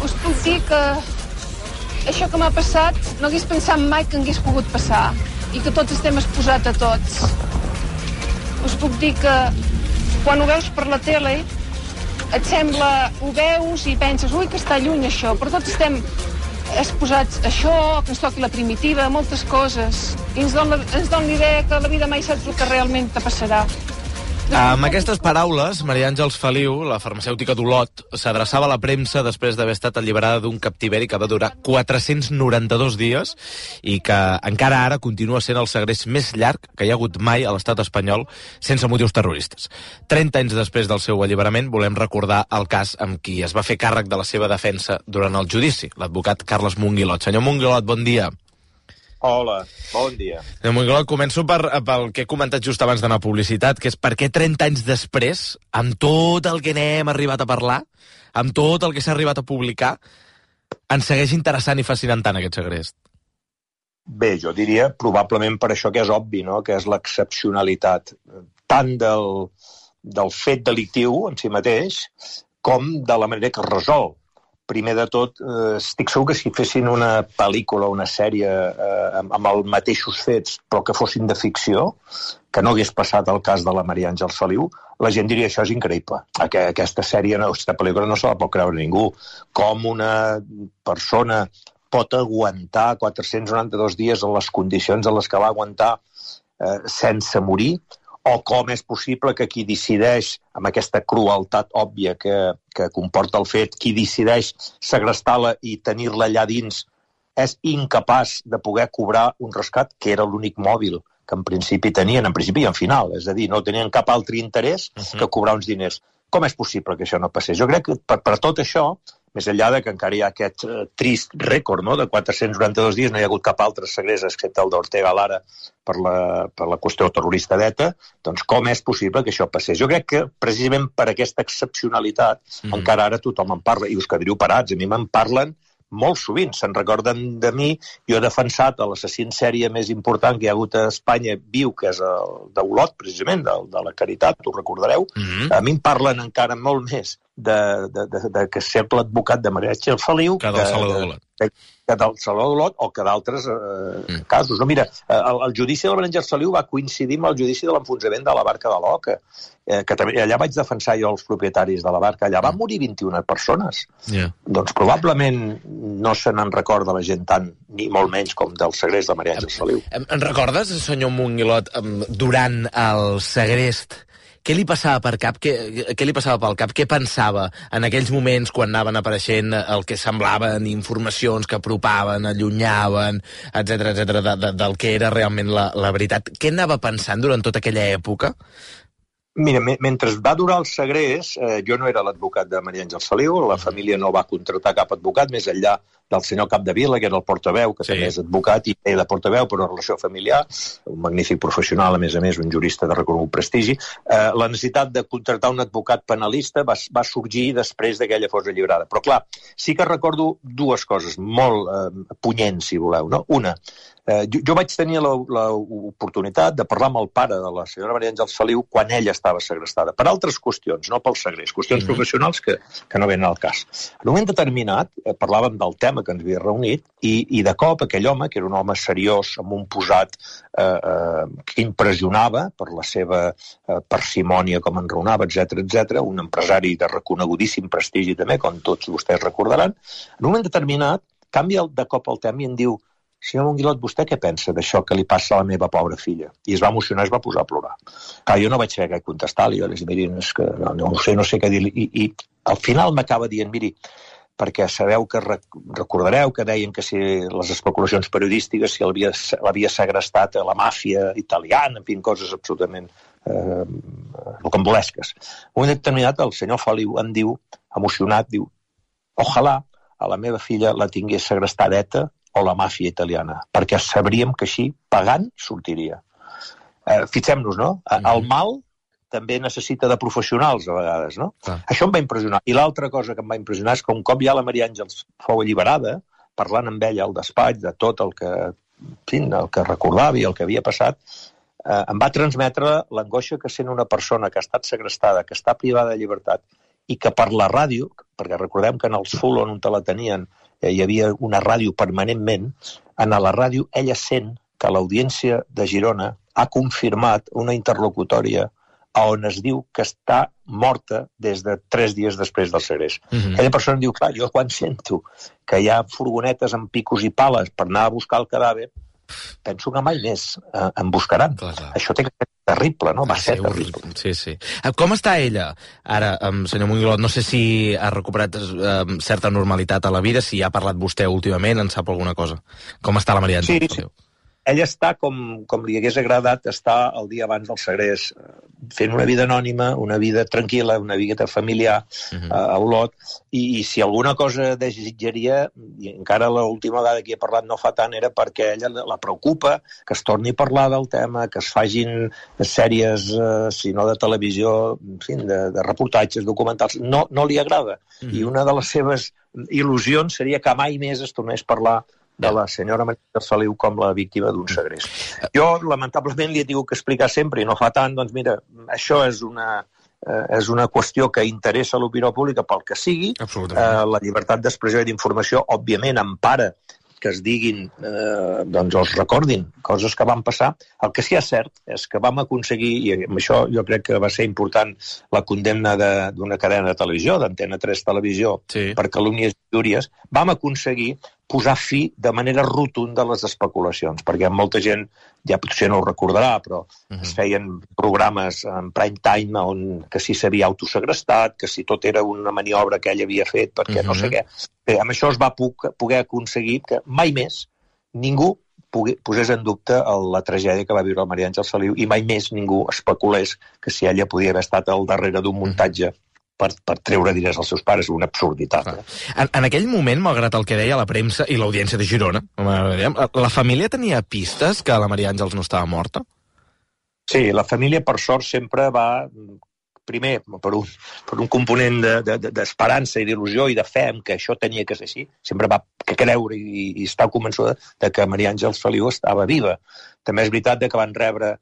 us puc dir que això que m'ha passat no hagués pensat mai que hagués pogut passar i que tots estem exposats a tots. Us puc dir que quan ho veus per la tele et sembla, ho veus i penses, ui, que està lluny això, però tots estem exposats a això, que ens toqui la primitiva, moltes coses, i ens dona l'idea que la vida mai saps el que realment te passarà. Amb aquestes paraules, Maria Àngels Feliu, la farmacèutica d'Olot, s'adreçava a la premsa després d'haver estat alliberada d'un captiveri que va durar 492 dies i que encara ara continua sent el segrest més llarg que hi ha hagut mai a l'estat espanyol sense motius terroristes. 30 anys després del seu alliberament volem recordar el cas amb qui es va fer càrrec de la seva defensa durant el judici, l'advocat Carles Monguilot. Senyor Monguilot, bon dia. Hola, bon dia. Senyor Monguilot, començo pel que he comentat just abans d'anar a publicitat, que és per què 30 anys després, amb tot el que n'hem arribat a parlar, amb tot el que s'ha arribat a publicar, ens segueix interessant i fascinant tant aquest segrest? Bé, jo diria probablement per això que és obvi, no? Que és l'excepcionalitat tant del fet delictiu en si mateix com de la manera que es resol. Primer de tot, estic segur que si fessin una pel·lícula o una sèrie amb els mateixos fets, però que fossin de ficció, que no hagués passat el cas de la Maria Àngels Feliu, la gent diria això és increïble. Aquesta sèrie, aquesta pel·lícula no se la pot creure ningú. Com una persona pot aguantar 492 dies en les condicions en les que va aguantar sense morir, o com és possible que qui decideix, amb aquesta crueltat òbvia que comporta el fet, qui decideix segrestar-la i tenir-la allà dins és incapaç de poder cobrar un rescat, que era l'únic mòbil que en principi tenien, en principi i en final, és a dir, no tenien cap altre interès que cobrar uns diners. Com és possible que això no passés? Jo crec que per tot això, més enllà de que encara hi ha aquest trist rècord, no? De 492 dies, no hi ha hagut cap altre segrest excepte el d'Ortega Lara per la qüestió terrorista d'ETA, doncs com és possible que això passés? Jo crec que precisament per aquesta excepcionalitat encara ara tothom en parla, i us quedaríeu parats, a mi me'n parlen molt sovint, se'n recorden de mi. Jo he defensat l'assassí en sèrie més important que hi ha hagut a Espanya viu, que és el d'Olot, precisament, de la Caritat, ho recordareu. A mi em parlen encara molt més de que ser l'advocat de Maria Àngels Feliu que del Salvador Olot. Que del Salvador Olot o que d'altres casos. No, mira, el judici de la Maria Àngels Feliu va coincidir amb el judici de l'enfonsament de la barca de l'Oca, que també allà vaig defensar jo els propietaris de la barca. Allà van morir 21 persones. Doncs probablement no se n'en recorda la gent tant, ni molt menys com del segrest de Maria Àngels Feliu. En recordes, senyor Monguilot, durant el segrest, què li passava per cap? Què li passava pel cap? Què pensava en aquells moments quan anaven apareixent el que semblaven informacions que apropaven, allunyaven, etc del que era realment la veritat? Què anava pensant durant tota aquella època? Mira, mentre va durar el segrest, jo no era l'advocat de Maria Àngels Feliu, la família no va contractar cap advocat, més enllà del senyor Capdevila, que era el portaveu, que també és advocat i de portaveu per una relació familiar, un magnífic professional, a més, un jurista de reconegut prestigi. La necessitat de contractar un advocat penalista va sorgir després que ella fos alliberada. Però, clar, sí que recordo dues coses molt punyents, si voleu, no? Una, jo vaig tenir l'oportunitat de parlar amb el pare de la senyora Maria Àngels Feliu quan ella estava segrestada, per altres qüestions, no pel segrest, qüestions professionals que no venen al cas. En un moment determinat parlàvem del tema que ens havia reunit i de cop aquell home, que era un home seriós, amb un posat que impressionava per la seva parsimònia com enraonava, etc, un empresari de reconegudíssim prestigi també, com tots vostès recordaran, en un moment determinat canvia de cop el tema i em diu: senyor Monguilot, vostè què pensa d'això que li passa a la meva pobra filla? I es va emocionar, es va posar a plorar. Clar, jo no vaig saber què contestar-li, jo li vaig dir, no sé què dir-li, i al final m'acaba dient, miri, perquè sabeu que recordareu que deien que si les especulacions periodístiques si l'havia segrestat a la màfia italiana, en fi, coses absolutament rocambolesques. Un moment determinat, el senyor Feliu em diu, emocionat, diu: ojalà a la meva filla la tingués segrestada ETA o la màfia italiana, perquè sabríem que així, pagant, sortiria. Fixem-nos, no? El mal també necessita de professionals, a vegades, no? Això em va impressionar. I l'altra cosa que em va impressionar és que un cop ja la Maria Àngels fou alliberada, parlant amb ella al despatx de tot el que recordava i el que havia passat, em va transmetre l'angoixa que sent una persona que ha estat segrestada, que està privada de llibertat i que per la ràdio, perquè recordem que en els Fulon on te la tenien hi havia una ràdio permanentment, en la ràdio ella sent que l'Audiència de Girona ha confirmat una interlocutòria on es diu que està morta des de 3 dies després del segrest. Aquella persona diu, clar, jo quan sento que hi ha furgonetes amb picos i pales per anar a buscar el cadàver, penso que mai més en buscaran. Clar. Això té que ser terrible, no? Va ser terrible. Sí. Com està ella? Ara, senyor Monguilot, no sé si ha recuperat certa normalitat a la vida, si ha parlat vostè últimament, en sap alguna cosa. Com està la Maria Àngels? Sí. Ella està com li hagués agradat estar el dia abans del segrest, fent una vida anònima, una vida tranquil·la, una vida familiar a Olot, i si alguna cosa desitjaria, i encara l'última vegada que he parlat no fa tant, era perquè ella la preocupa que es torni a parlar del tema, que es fagin sèries, si no de televisió, en fi, de reportatges, documentals. No li agrada. I una de les seves il·lusions seria que mai més es tornés a parlar de la senyora Maria Àngels Feliu com la víctima d'un segrest. Jo, lamentablement, li he tingut que explicar sempre, i no fa tant, doncs mira, això és una qüestió que interessa a l'opinió pública pel que sigui. La llibertat d'expressió i d'informació, òbviament, empara que es diguin, doncs els recordin, coses que van passar. El que sí que és cert és que vam aconseguir, i amb això jo crec que va ser important la condemna d'una cadena de televisió, d'Antena 3 Televisió, per calúmnies i injúries, vam aconseguir posar fi de manera rotunda a les especulacions, perquè molta gent, ja potser no ho recordarà, però es feien programes en prime time que si s'havia autosegrestat, que si tot era una maniobra que ell havia fet, perquè no sé què. Bé, amb això es va poder aconseguir que mai més ningú posés en dubte la tragèdia que va viure la Maria Àngels Feliu i mai més ningú especulés que si ella podia haver estat al darrere d'un muntatge per treure diners als seus pares, una absurditat. En aquell moment, malgrat el que deia la premsa i l'Audiència de Girona, la família tenia pistes que la Maria Àngels no estava morta? Sí, la família, per sort, sempre va, primer, per un component d'esperança i d'il·lusió i de fe en que això tenia que ser així, sempre va creure i estar convençuda de que Maria Àngels Feliu estava viva. També és veritat que van rebre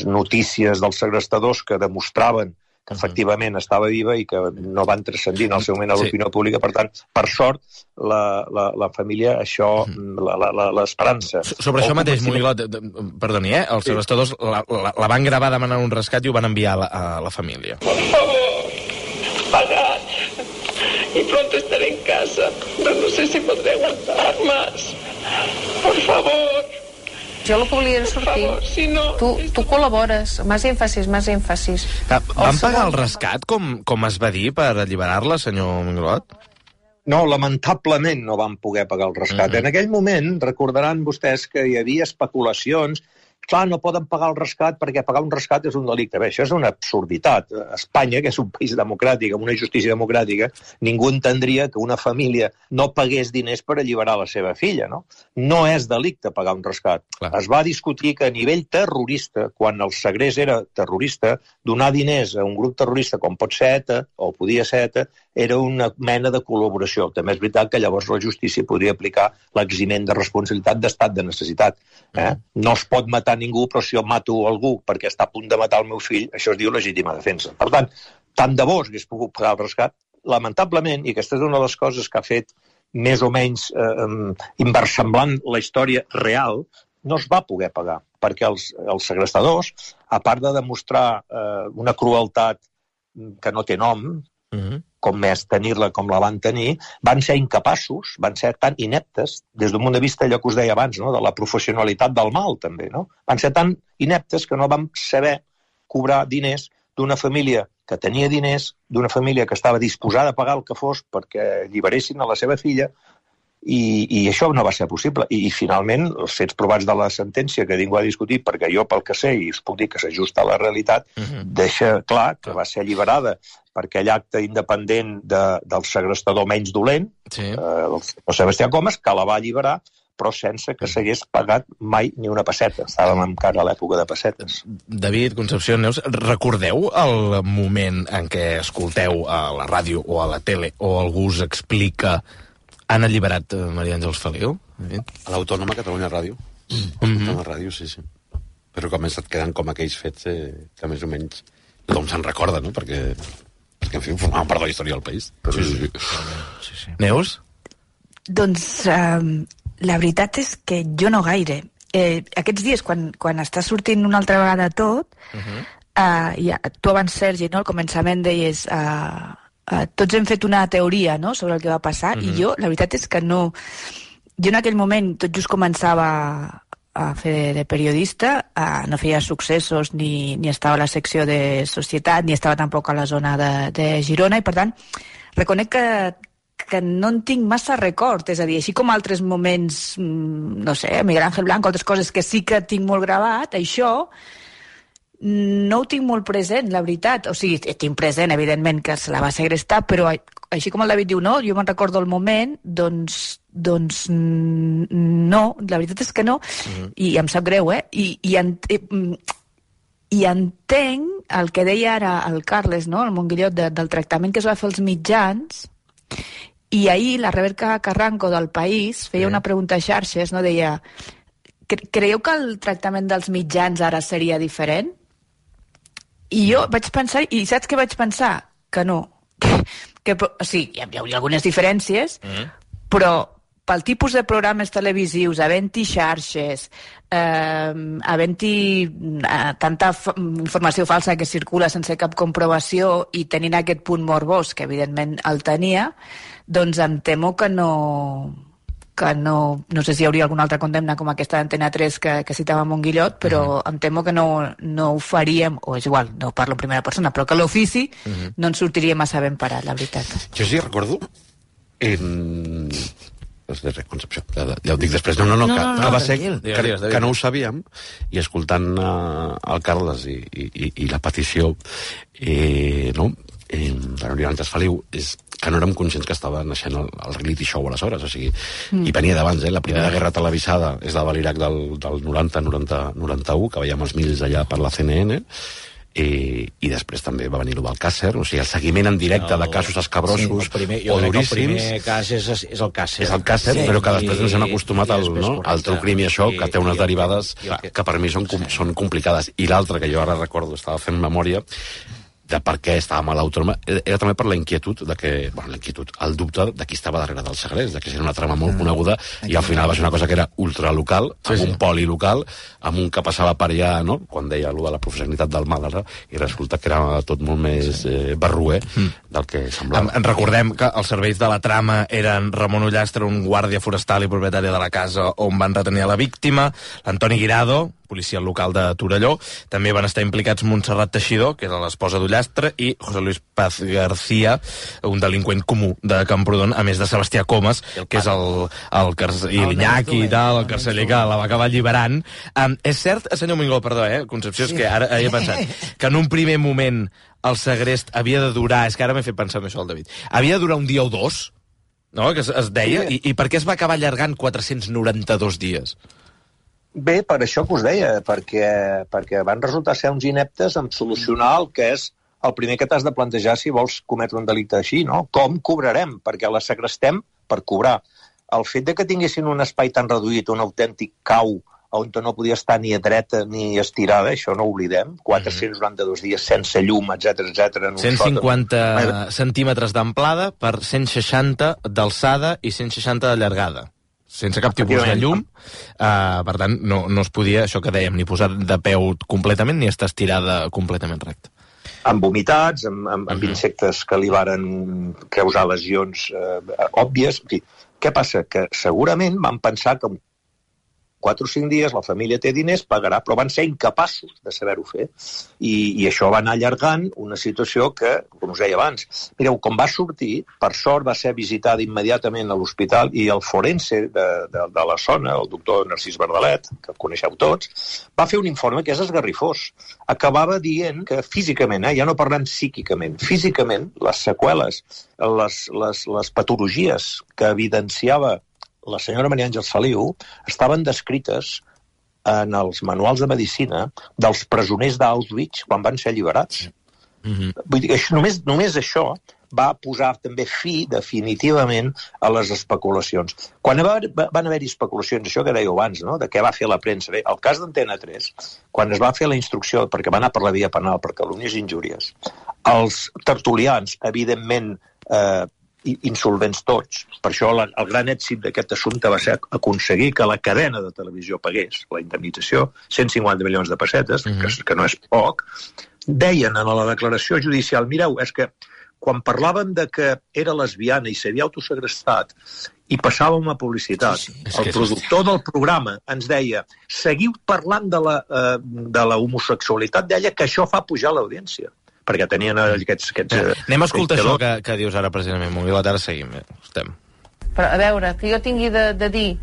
notícies dels segrestadors que demostraven que efectivament estava viva i que no van transcendir en el seu moment a l'opinió pública. Per tant, per sort, la família, això, l'esperança... Sobre això mateix, Monguilot, perdoni, els segrestadors la van gravar demanant un rescat i ho van enviar a la família. Por favor, pagad. Y pronto estaré en casa, pero no sé si podré aguantar más. Por favor. Jo el que volia sortir. Si no, tu col·labores, més èmfasis. Van pagar el rescat, com es va dir, per alliberar-la, senyor Monguilot? No, lamentablement no van poder pagar el rescat. En aquell moment, recordaran vostès que hi havia especulacions. Clar, no poden pagar el rescat perquè pagar un rescat és un delicte. Bé, això és una absurditat. Espanya, que és un país democràtic, amb una justícia democràtica, ningú entendria que una família no pagués diners per alliberar la seva filla, no? No és delicte pagar un rescat. Clar. Es va discutir que a nivell terrorista, quan el segrest era terrorista, donar diners a un grup terrorista com pot ser ETA, o podia ser ETA, era una mena de col·laboració. També és veritat que llavors la justícia podria aplicar l'eximent de responsabilitat d'estat de necessitat. No es pot matar ningú, però si jo mato algú perquè està a punt de matar el meu fill, això es diu legítima defensa. Per tant de bo hagués pogut pagar el rescat. Lamentablement, i aquesta és una de les coses que ha fet més o menys inversemblant la història real, no es va poder pagar, perquè els segrestadors, a part de demostrar una crueltat que no té nom, com és tenir-la com la van tenir, van ser incapaços, van ser tan ineptes, des d'un punt de vista, allò que us deia abans, no? De la professionalitat del mal, també, no? Van ser tan ineptes que no van saber cobrar diners d'una família que tenia diners, d'una família que estava disposada a pagar el que fos perquè alliberessin a la seva filla, i això no va ser possible. I finalment, els fets provats de la sentència que ningú ha discutit, perquè jo pel que sé, i us puc dir que s'ajusta a la realitat, deixa clar que va ser alliberada per aquell acte independent del segrestador menys dolent, el Sebastià Comas, que la va alliberar, però sense que s'hagués pagat mai ni una pesseta. Estàvem encara a l'època de pessetes. David, Concepció Neus, recordeu el moment en què escolteu a la ràdio o a la tele o algú us explica han alliberat Maria Àngels Feliu? A l'Autònoma Catalunya Ràdio. A la ràdio, sí. Però com et queden com aquells fets que més o menys tothom se'n recorda, no? Perquè perquè, en fi, formaven part de la història del país. Sí. Neus? Doncs la veritat és que jo no gaire. Aquests dies, quan està sortint una altra vegada tot, tu abans, Sergi, no, al començament deies tots hem fet una teoria, no?, sobre el que va passar, i jo, la veritat és que no... Jo en aquell moment tot just començava a fer de periodista, no feia successos ni estava a la secció de societat, ni estava tampoc a la zona de Girona, i per tant reconec que no en tinc massa record, és a dir, així com altres moments, no sé, Miguel Ángel Blanco, altres coses que sí que tinc molt gravat, això no ho tinc molt present, la veritat. O sigui, tinc present, evidentment, que se la va segrestar, però així com el David diu, no, jo me'n recordo el moment, doncs no, la veritat és que no, i em sap greu, I entenc el que deia ara el Carles, no?, el Monguillot, del tractament que es va fer als mitjans, i ahir la Rebeca Carranco del País feia una pregunta a xarxes, no?, deia, creieu que el tractament dels mitjans ara seria diferent? I jo vaig pensar, i saps què vaig pensar? Que no. Sí, hi ha algunes diferències, però pel tipus de programes televisius, havent-hi xarxes, havent-hi tanta informació falsa que circula sense cap comprovació i tenint aquest punt morbós, que evidentment el tenia, doncs em temo que no sé si hi hauria alguna altra condemna com aquesta d'Antena 3 que citava Monguillot, però em temo que no ho faríem, o és igual, no parlo en primera persona, però que l'ofici no ens sortiria massa ben parat, la veritat. Jo sí recordo Concepció, ja ho dic després, que va ser que no ho sabíem, i escoltant el Carles i la petició no, de l'Oriol Feliu, és que no érem conscients que estava naixent el reality show aleshores, o sigui, i venia d'abans, la primera guerra televisada és la de l'Iraq del 90-91, que veiem els mils allà per la CNN, i després també va venir l'Alcàsser, o sigui, el seguiment en directe de casos escabrosos o duríssims. El primer cas és el Càsser. És el Càsser, però que després ens hem acostumat al true crime i això, que té unes derivades que per mi són complicades. I l'altre, que jo ara recordo, estava fent memòria, de per què estàvem a l'Autònoma, era també per la inquietud el dubte de qui estava darrere del segrest, de que era una trama molt coneguda, i al final va ser una cosa que era ultralocal, amb un poli local, amb un que passava per allà, no?, quan deia allò de la professionalitat del Màlaga, i resulta que era tot molt més barruer del que semblava. Recordem que els serveis de la trama eren Ramon Ullastre, un guàrdia forestal i propietari de la casa on van retenir la víctima, l'Antoni Guirado, policia local de Torelló, també van estar implicats Montserrat Teixidor, que era l'esposa d'Ullastre, i José Luis Paz García, un delinqüent comú de Camprodon, a més de Sebastià Comas, que és i l'Iñaki i tal, el carceller que la va acabar alliberant. És cert, senyor Mingó, perdó, Concepció, és que ara he pensat que en un primer moment el segrest havia de durar, és que ara m'he fet pensar en això, el David, havia de durar un dia o dos, no?, que es deia, i per què es va acabar allargant 492 dies? Bé, per això que us deia, perquè van resultar ser uns ineptes en solucionar el que és el primer que t'has de plantejar si vols cometre un delicte així, no? Com cobrarem? Perquè la segrestem per cobrar. El fet de que tinguessin un espai tan reduït, un autèntic cau, on no podia estar ni dreta ni estirada, això no ho oblidem, 492 dies sense llum, etc. 150 centímetres d'amplada per 160 d'alçada i 160 de llargada. Sense cap tipus de llum, per tant, no es podia, això que dèiem, ni posar de peu completament ni estar estirada completament recta. Amb vomitats, amb insectes que li varen causar lesions òbvies. En fi, què passa? Que segurament van pensar que 4 o 5 dies la família té diners, pagarà, però van ser incapaços de saber-ho fer. I això va anar allargant una situació que, com us deia abans, mireu, com va sortir, per sort va ser visitada immediatament a l'hospital i el forense de la zona, el doctor Narcís Bardalet, que coneixeu tots, va fer un informe que és esgarrifós. Acabava dient que físicament, ja no parlem psíquicament, físicament les seqüeles, les patologies que evidenciava la senyora Maria Àngels Feliu estaven descrites en els manuals de medicina dels presoners d'Auschwitz quan van ser alliberats. Vull dir que només això va posar també fi definitivament a les especulacions. Quan van haver-hi especulacions, això que dèieu abans, no?, de què va fer la premsa, el cas d'Antena 3, quan es va fer la instrucció, perquè va anar per la via penal per calúmnies i injúries, Els tertulians, evidentment, insolvents tots. Per això el gran èxit d'aquest assumpte va ser aconseguir que la cadena de televisió pagués la indemnització, 150 milions de pessetes, que no és poc. Deien en la declaració judicial, mireu, és que quan parlàvem de que era lesbiana i s'havia autosegrestat i passàvem a publicitat, el productor del programa ens deia, seguiu parlant de la homosexualitat, deia que això fa pujar l'audiència, perquè tenien aquests anem a escoltar això que dius ara precisament, Monguilot, ara seguim. Però a veure, que jo tingui de dir,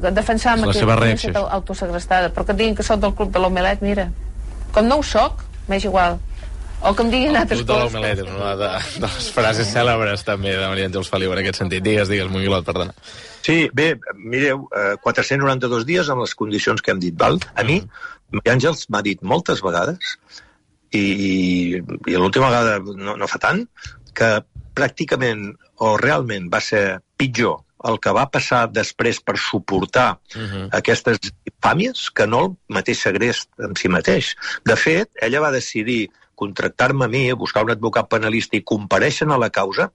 defensar-me que he estat autosegrestada, però que diguin que soc del club de l'Omelet, mira, com no ho soc, m'és igual. O que em diguin altres coses. El club de l'Omelet és una de les frases cèlebres també de Maria Àngels Feliu en aquest sentit. Digues, Monguilot, perdona. Sí, bé, mireu, 492 dies amb les condicions que hem dit, val? A mi, Maria Àngels m'ha dit moltes vegades i l'última vegada no fa tant, que pràcticament o realment va ser pitjor el que va passar després per suportar aquestes infàmies que no el mateix segrest en si mateix. De fet, ella va decidir contractar-me a mi, buscar un advocat penalista i comparèixer a la causa,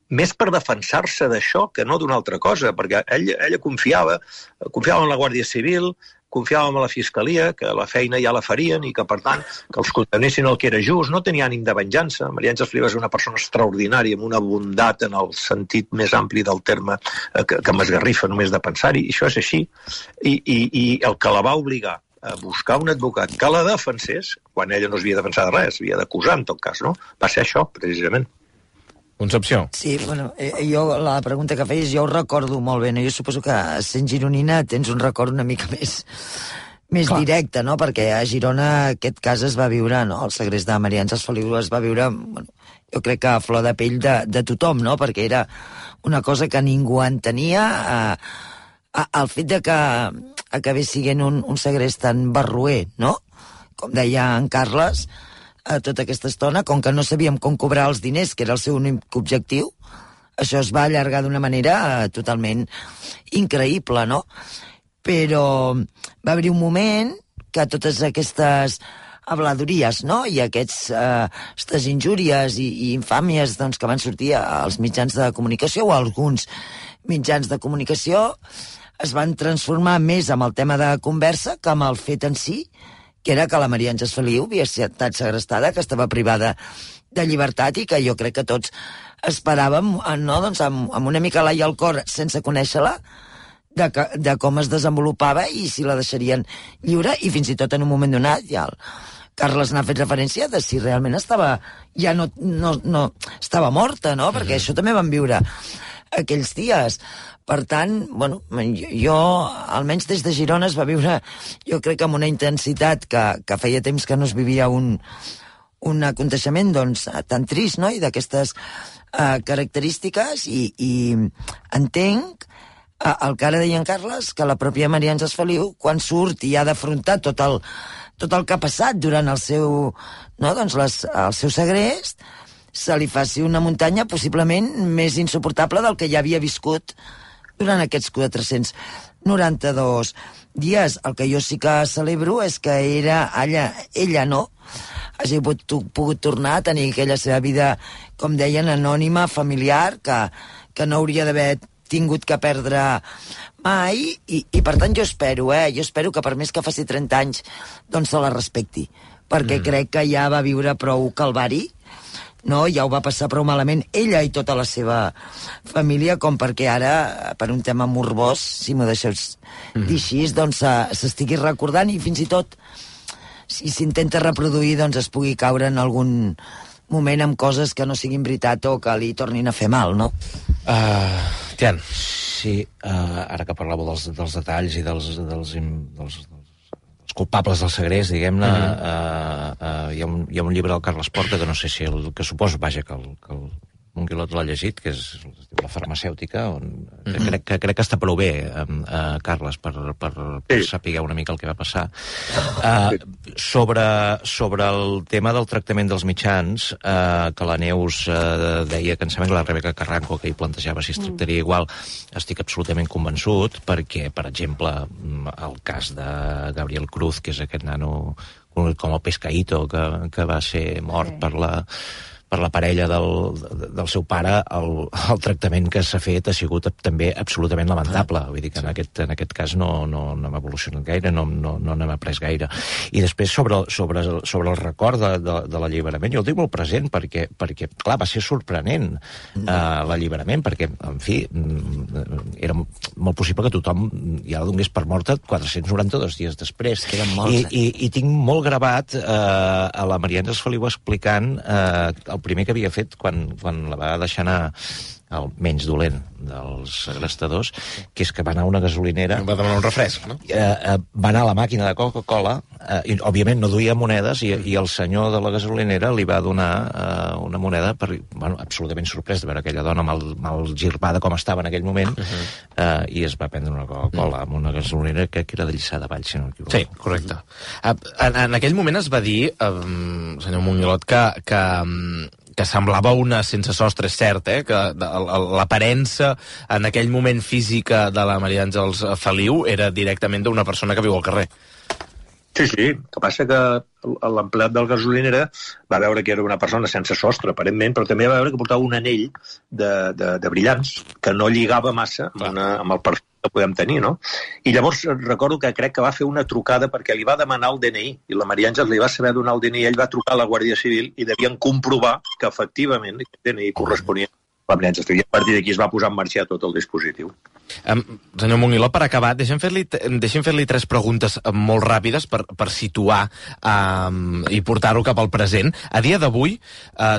més per defensar-se d'això que no d'una altra cosa, perquè ella confiava en la Guàrdia Civil, confiàvem a la Fiscalia, que la feina ja la farien i que, per tant, que els condemnessin el que era just, no tenia ànim de venjança. Maria Àngels Feliu és una persona extraordinària, amb una bondat en el sentit més ampli del terme que m'esgarrifa només de pensar-hi, i això és així. I el que la va obligar a buscar un advocat que la defensés, quan ella no es havia defensat de res, havia d'acusar, en tot cas, no? Va ser això, precisament. Concepció. Sí, bueno, jo la pregunta que feies jo ho recordo molt bé, no? Jo suposo que sent gironina tens un record una mica més directe, no? Perquè a Girona aquest cas es va viure, no? El segrest de Maria Àngels Feliu es va viure, bueno, jo crec que a flor de pell de tothom, no? Perquè era una cosa que ningú entenia, el fet de que acabés sent un segrest tan barroer, no? Com deia en Carles, tota aquesta estona, com que no sabíem com cobrar els diners, que era el seu únic objectiu, això es va allargar d'una manera totalment increïble, no? Però va haver un moment que totes aquestes habladories, no? I aquestes injúries i infàmies, doncs, que van sortir als mitjans de comunicació o alguns mitjans de comunicació es van transformar més amb el tema de conversa que amb el fet en si, que era que la Maria Àngels Feliu havia estat segrestada, que estava privada de llibertat i que jo crec que tots esperàvem, no, doncs, amb una mica l'ai al cor, sense conèixer-la, de com es desenvolupava i si la deixarien lliure, i fins i tot en un moment donat ja el Carles n'ha fet referència de si realment estava estava morta, no? Perquè això també van viure aquells dies. Per tant, bueno, jo, almenys des de Girona es va viure, jo crec que amb una intensitat que feia temps que no es vivia un aconteixement, doncs, tan trist, no?, i d'aquestes característiques, i entenc el que ara deia en Carles, que la pròpia Maria Àngels Feliu, quan surt i ha d'afrontar tot el que ha passat durant el seu, no, doncs, el seu segrest, se li faci una muntanya possiblement més insuportable del que ja havia viscut durant aquests 492 dies. El que jo sí que celebro és que ella no hagi pogut tornar a tenir aquella seva vida, com deien, anònima, familiar, que no hauria d'haver tingut que perdre mai, i per tant jo espero que per més que faci 30 anys doncs se la respecti, perquè crec que ja va viure prou calvari, no? Ja ho va passar prou malament ella i tota la seva família com perquè ara, per un tema morbós, si m'ho deixeu dir així, doncs s'estigui recordant, i fins i tot si s'intenta reproduir, doncs es pugui caure en algun moment amb coses que no siguin veritat o que li tornin a fer mal, no? Tian. Sí, ara que parlàveu dels detalls i dels culpables del segrest, diguem-ne, hi ha un llibre del Carles Porta, que no sé si que suposo, vaja, que el Monguilot l'ha llegit, que és La farmacèutica, on crec que està prou bé, Carles, per saber una mica el que va passar. Sobre el tema del tractament dels mitjans, que la Neus deia, que em sembla que la Rebeca Carranco, que hi plantejava si es tractaria igual, estic absolutament convençut, perquè, per exemple, el cas de Gabriel Cruz, que és aquest nano com el Pescaíto, que va ser mort per la parella del seu pare, el tractament que s'ha fet ha sigut també absolutament lamentable. Vull dir que en aquest cas no hem evolucionat gaire, no n'hem après gaire. I després, sobre el record de l'alliberament, jo el tinc molt present perquè clar, va ser sorprenent l'alliberament, perquè, en fi, era molt possible que tothom ja la donés per morta 492 dies després. I tinc molt gravat a la Maria Àngels Feliu explicant el primer que havia fet quan la va deixar anar el menys dolent dels segrestadors, que és que va anar a una gasolinera... Va demanar un refresc, no? Va anar a la màquina de Coca-Cola, i òbviament no duia monedes, i el senyor de la gasolinera li va donar una moneda, absolutament sorprès de veure aquella dona mal girbada com estava en aquell moment, i es va prendre una Coca-Cola amb una gasolinera que era de Lliçà de Vall, si no m'equivoco. Sí, correcte. En aquell moment es va dir, senyor Monguilot, que semblava una sense sostre, és cert, que l'aparença en aquell moment física de la Maria Àngels Feliu era directament d'una persona que viu al carrer. Sí, el que passa que l'empleat del gasolinera va veure que era una persona sense sostre, aparentment, però també va veure que portava un anell de brillants que no lligava massa amb el perfil que podem tenir, no? I llavors recordo que crec que va fer una trucada perquè li va demanar el DNI, i la Maria Àngels li va saber donar el DNI, ell va trucar a la Guàrdia Civil i devien comprovar que efectivament el DNI corresponia a la Maria Àngels Feliu. I a partir d'aquí es va posar en marxa tot el dispositiu. Senyor Monguilot, per acabar, deixem fer-li 3 preguntes molt ràpides per situar i portar-ho cap al present. A dia d'avui,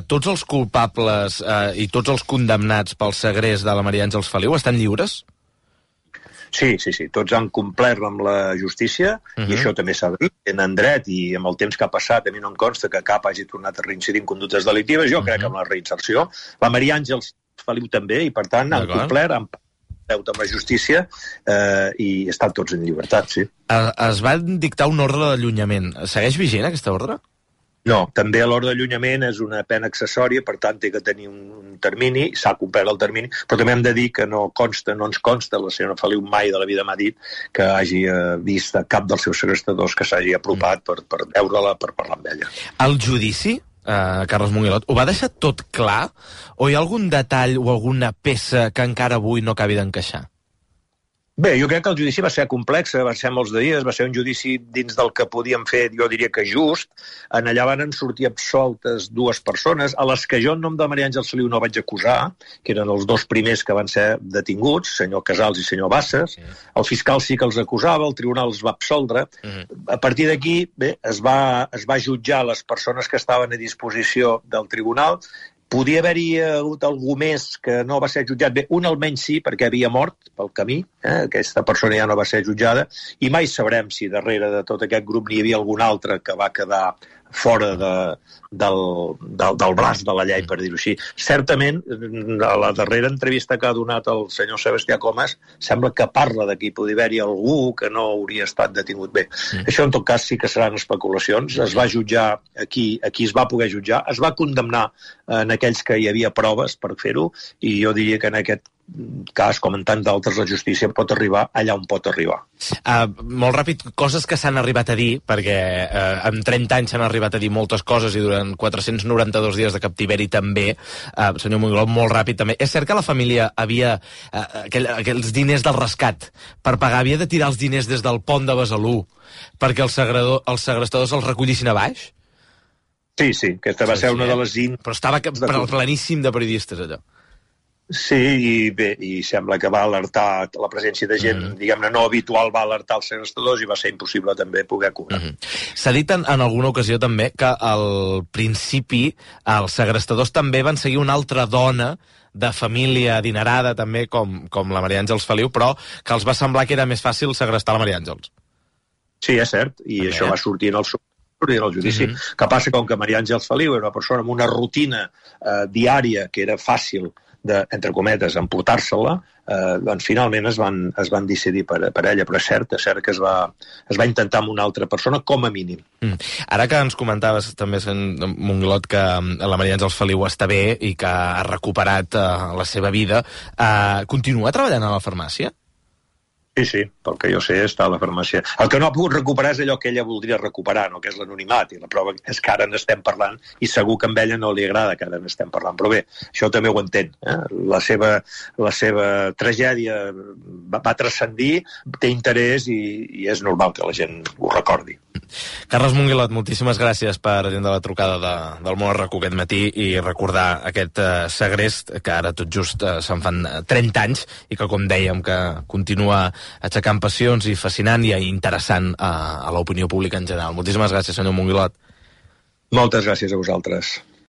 tots els culpables i tots els condemnats pel segrest de la Maria Àngels Feliu estan lliures? Sí, tots han complert amb la justícia, i això també s'ha de dir, tenen dret, i amb el temps que ha passat a mi no em consta que cap hagi tornat a reincidir en conductes delictives. Jo crec que amb la reinserció, la Maria Àngels Feliu també, i per tant han complert, han deute amb la justícia, i estan tots en llibertat, sí. Es va dictar un ordre d'allunyament. Segueix vigent aquesta ordre? No, també l'ordre d'allunyament és una pena accessòria, per tant té que tenir un termini, s'ha complert el termini, però també hem de dir que no ens consta, la senyora Feliu mai de la vida m'ha dit que hagi vist a cap dels seus segrestadors que s'hagi apropat per veure-la, per parlar amb ella. El judici, Carles Monguilot, ho va deixar tot clar? O hi ha algun detall o alguna peça que encara avui no acabi d'encaixar? Bé, jo crec que el judici va ser complex, va ser molts de dies, va ser un judici dins del que podíem fer, jo diria que just. En allà van sortir absoltes 2 persones, a les que jo en nom de Maria Àngels Feliu no vaig acusar, que eren els 2 primers que van ser detinguts, senyor Casals i senyor Bassas. El fiscal sí que els acusava, el tribunal els va absoldre. A partir d'aquí, bé, es va jutjar les persones que estaven a disposició del tribunal. Podia haver-hi hagut algú més que no va ser jutjat. Bé, un almenys sí, perquè havia mort pel camí. Aquesta persona ja no va ser jutjada. I mai sabrem si darrere de tot aquest grup n'hi havia algun altre que va quedar fora del braç de la llei, per dir-ho així. Certament, a la darrera entrevista que ha donat el senyor Sebastià Comas, sembla que parla de que hi podria haver-hi algú que no hauria estat detingut. Bé, això en tot cas sí que seran especulacions. Es va jutjar aquí es va poder jutjar, es va condemnar en aquells que hi havia proves per fer-ho, i jo diria que en aquest cas, com en tants d'altres, la justícia pot arribar allà on pot arribar. Molt ràpid, coses que s'han arribat a dir, perquè en 30 anys s'han arribat a dir moltes coses i durant 492 dies de captiveri també. Senyor Monguilot, molt ràpid també. És cert que la família havia aquells diners del rescat per pagar, havia de tirar els diners des del pont de Besalú perquè els segrestadors els recollissin a baix? Sí, aquesta va ser una de les... Però estava planíssim de periodistes, allò. Sí, i sembla que va alertar la presència de gent, diguem-ne, no habitual, va alertar els segrestadors i va ser impossible també poder cobrar. S'ha dit en alguna ocasió també que al principi els segrestadors també van seguir una altra dona de família adinerada també, com la Maria Àngels Feliu, però que els va semblar que era més fàcil segrestar la Maria Àngels. Sí, és cert, i també, això va sortir en el judici. Que passa com que Maria Àngels Feliu era una persona amb una rutina diària que era fàcil entre cometes, emportar-se-la, doncs finalment es van decidir per ella, però és cert que es va intentar amb una altra persona, com a mínim. Ara que ens comentaves també, Monguilot, que la Maria Àngels Feliu està bé i que ha recuperat la seva vida, continua treballant a la farmàcia? Sí, pel que jo sé està a la farmàcia. El que no ha pogut recuperar és allò que ella voldria recuperar, no? Que és l'anonimat, i la prova és que ara n'estem parlant, i segur que a ella no li agrada que ara n'estem parlant, però bé, això també ho entenc. La seva tragèdia va transcendir, té interès i és normal que la gent ho recordi. Carles Monguilot, moltíssimes gràcies per atendre la trucada del Món RAC1 aquest matí i recordar aquest segrest que ara tot just se'n fan 30 anys i que, com dèiem, que continua aixecant passions i fascinant i interessant a l'opinió pública en general. Moltíssimes gràcies, senyor Monguilot. Moltes gràcies a vosaltres.